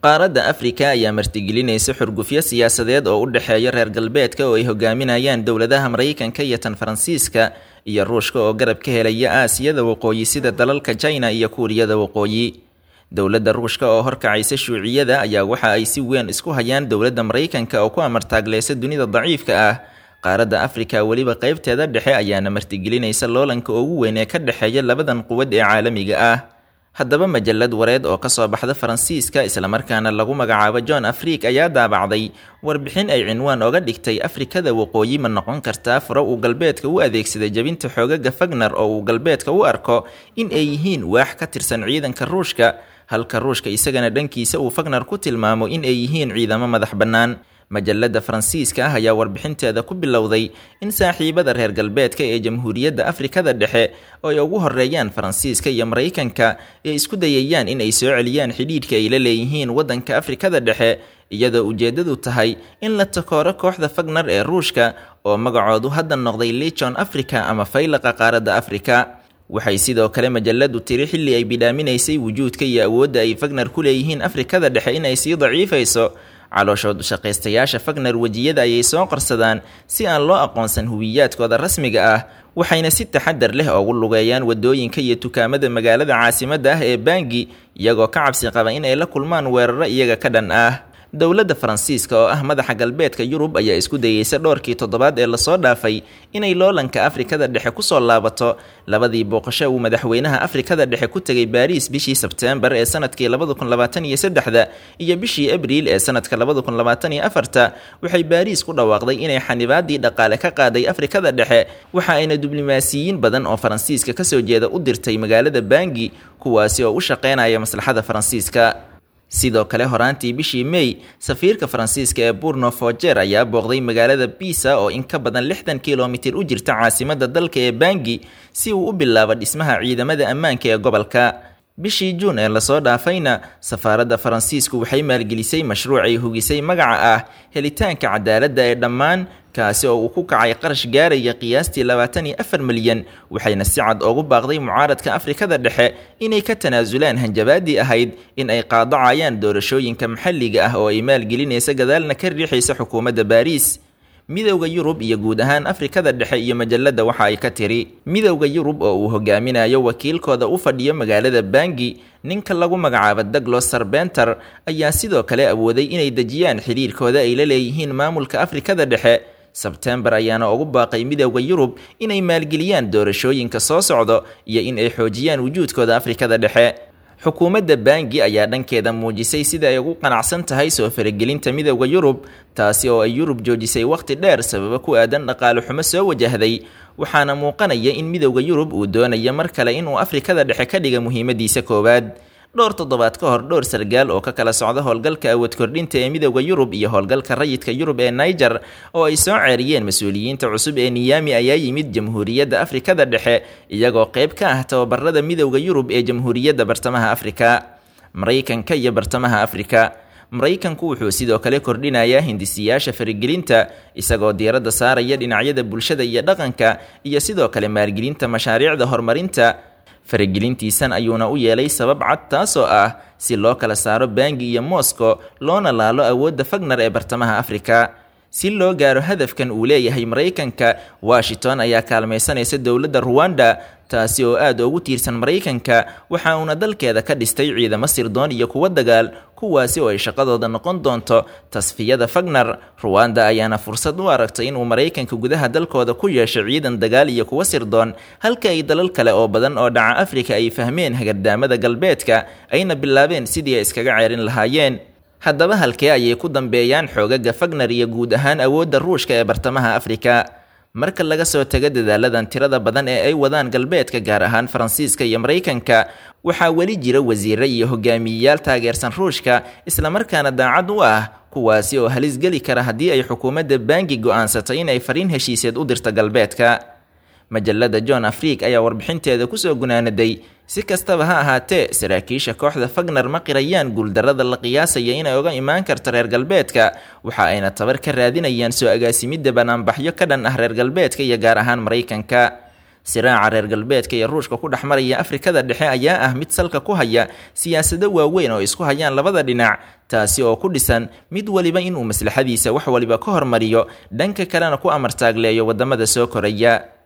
Qaaradda Afrika ayaa martigelinaysa xurgufyo siyaasadeed oo u dhexeeya reer galbeedka oo ay hogaaminayaan dowladaha Maraykanka iyo tan Faransiiska iyo Ruushka oo garab ka helaya Aasiyada Waqooyi sida dalalka China iyo Kuuriyada Waqooyi. Dowladda Ruushka oo horkacaysa shuuciyada ayaa waxa ay si weyn isku hayaan dowladda Maraykanka oo ku amartaagleysa dunida daciifka ah. Qaaradda Afrika weliba qaybteeda dhexe ayaana martigelinaysa loolanka ugu weyn ee ka dhexeeya labadan quwad ee caalamiga ah. Haddaba majalad wareed oo kasoo baxda Faransiiska islamarkaana lagu magacaabo John Afrique ayaa daabacday warbixin ay cinwaan oga dhigtay Afrikada Waqooyi ma noqon kartaa furo uu galbeedka u adeegsaday jabinta xoogaga Fagner oo uu galbeedka u arko in ay yihiin waax ka tirsan ciidanka Ruushka, halka Ruushka isagana dhankiisa uu Fagner ku tilmaamo in ay yihiin ciidamo madax bannaan. Majalada Faransiiska ah ayaa warbixinteeda ku bilowday in saaxiibada reer galbeedka ee Jamhuuriyadda Afrikada Dhexe oo ay ugu horeeyaan Faransiiska iyo Maraykanka ay isku dayayaan in ay soo celiyaan xidhiidhka ay la leeyihiin waddanka Afrikada Dhexe, iyadoo ujeedadu tahay in la takooro kooxda Fagner ee Ruushka oo magacoodu hadda noqday Legion Africa ama Faylaqa Qaaradda Afrika. Waxay sidoo kale majaladu tiri xilli ay bidhaaminaysay wujuudka iyo awoodda ay Fagner ku leeyihiin Afrikada Dhexe inay sii daciifayso. Calooshood shaqaystayaasha Fagner wejiyada ayay soo qarsadaan si aan loo aqoonsan huwiyaadkooda rasmiga ah, waxayna si taxadar leh ugu lugeeyaan wadooyinka iyo dukaamada magaalada caasimadda ah ee Bangi, iyagoo ka cabsi qaba in ay la kulmaan weeraro iyaga ka dhan ah. Dowladda Faransiiska oo ah madaxa galbeedka Yurub ayaa isku dayeysa dhowrkii toddobaad ee lasoo dhaafay inay loolanka Afrikada Dhexe kusoo laabato. Labadii booqasho uu madaxweynaha Afrikada Dhexe ku tegay Baariis bishii Sebteembar ee sanadkii 2023 iyo bishii Abriil ee sanadka 2024, waxay Baariis ku dhawaaqday inay xanibaadii dhaqaale ka qaaday Afrikada Dhexe, waxa ayna diblomaasiyiin badan oo Faransiiska kasoo jeeda u dirtay magaalada Bangi, kuwaasi oo u shaqeynaya maslaxada Faransiiska. Sidoo kale horaantii bishii May, safiirka Faransiiska ee Burno Foger ayaa booqday magaalada Pisa oo in ka badan 60 kilomitir u jirta caasimadda dalka ee Bangi si uu u bilaabo dhismaha ciidamada ammaanka ee gobolka. Bishii Juun ee lasoo dhaafayna, safaaradda Faransiisku waxay maalgelisay mashruuc ay hugisay magaca ah helitaanka cadaaladda ee dhammaan, kaasi oo uu ku kacay qarash gaaraya qiyaastii 24 milyan, waxayna si cad ugu baaqday mucaaradka Afrikada Dhexe inay ka tanaasulaan hanjabaadii ahayd in ay qaadacayaan doorashooyinka maxalliga ah oo ay maalgelinaysa gadaalna ka riixaysa xukuumadda Baariis. Midowda Yurub iyo guud ahaan Afrikada Dhexe iyo majalada waxa ay ka tiri Midowda Yurub oo uu hogaaminayo wakiilkooda u fadhiyo magaalada Bangi, ninka lagu magacaabo Douglas Sarbenter, ayaa sidoo kale awooday inay dejiyaan xiriirkooda ay la leeyihiin maamulka Afrikada Dhexe. Sebtembar ayaana ugu baaqay Midowda Yurub inay maalgeliyaan doorashooyinka soo socdo iyo in ay xoojiyaan wujuudkooda Afrikada Dhexe. Xukuumadda Bangi ayaa dhankeeda muujisay sida ay ugu qanacsan tahay soo faragelinta Midowda Yurub, taasi oo ay Yurub joojisay waqti dheer sababo ku aadan dhaqaale xumo soo wajahday, waxaana muuqanaya in Midowda Yurub uu doonayo mar kale inuu Afrikada Dhexe ka dhiga muhiimadiisa koowaad. Dhowr toddobaad ka hor, dhowr sargaal oo ka kala socda howlgalka awood kordhinta ee Midowda Yurub iyo howlgalka rayidka Yurub ee Niger oo ay soo ceeriyeen mas-uuliyiinta cusub ee Niami ayaa yimid Jamhuuriyadda Afrikada Dhexe, iyagoo qayb ka ah tababarada Midowda Yurub ee Jamhuuriyadda Bartamaha Afrika. Maraykanka iyo Bartamaha Afrika. Maraykanku wuxuu sidoo kale kordhinayaa hindisiyaasha faragelinta, isagoo diiradda saaraya dhinacyada bulshada iyo dhaqanka iyo sidoo kale maalgelinta mashaariicda horumarinta. Faragelintiisan ayuuna u yeelay sabab cad, taasoo ah si loo kala saaro Bangi iyo Moscow loona laalo awoodda Fagner ee Bartamaha Afrika. Si loo gaaro hadafkan uu leeyahay Maraykanka, Washington ayaa kaalmaysanaysa dowladda Ruwanda, taasi oo aad ugu tiirsan Maraykanka, waxa uuna dalkeeda ka dhistay ciidamo sirdoon iyo kuwo dagaal, kuwaasi oo ay shaqadooda noqon doonto tasfiyada Fagner. Ruwanda ayaana fursad u aragtay inuu Maraykanka gudaha dalkooda ku yeesho ciidan dagaal iyo kuwo sirdoon, halka ay dalal kale oo badan oo dhaca Afrika ay fahmeen hagardaamada galbeedka, ayna bilaabeen sidii ay iskaga ceerin lahaayeen. Haddaba halkee ayay ku dambeeyaan xoogaga Fagner iyo guud ahaan awoodda Ruushka ee Bartamaha Afrika? Marka laga soo tago dadaaladan tirada badan ee ay wadaan galbeedka, gaar ahaan Faransiiska iyo Maraykanka, waxaa weli jira wasiirro iyo hogaamiyeyaal taageersan Ruushka islamarkaana daacad u ah, kuwaasi oo halis geli kara haddii ay xukuumadda Bangi go'aansato in ay fariin heshiiseed u dirto galbeedka. Majalada John Afrique ayaa warbixinteeda kusoo gunaanaday si kastaba ha ahaatee, saraakiisha kooxda Fagner ma qirayaan guuldarrada la qiyaasaya inay uga imaan karto reer galbeedka, waxa ayna tabar ka raadinayaan soo agaasimidda banaanbaxyo ka dhan ah reer galbeedka iyo gaar ahaan Maraykanka. Siraaca reer galbeedka iyo Ruushka ku dhex maraya Afrikada Dhexe ayaa ah mid salka ku haya siyaasado waaweyn oo isku hayaan labada dhinac, taasi oo ku dhisan mid waliba inuu maslaxadiisa wax waliba ka hormariyo, dhanka kalena ku amartaagleeyo waddamada soo koraya.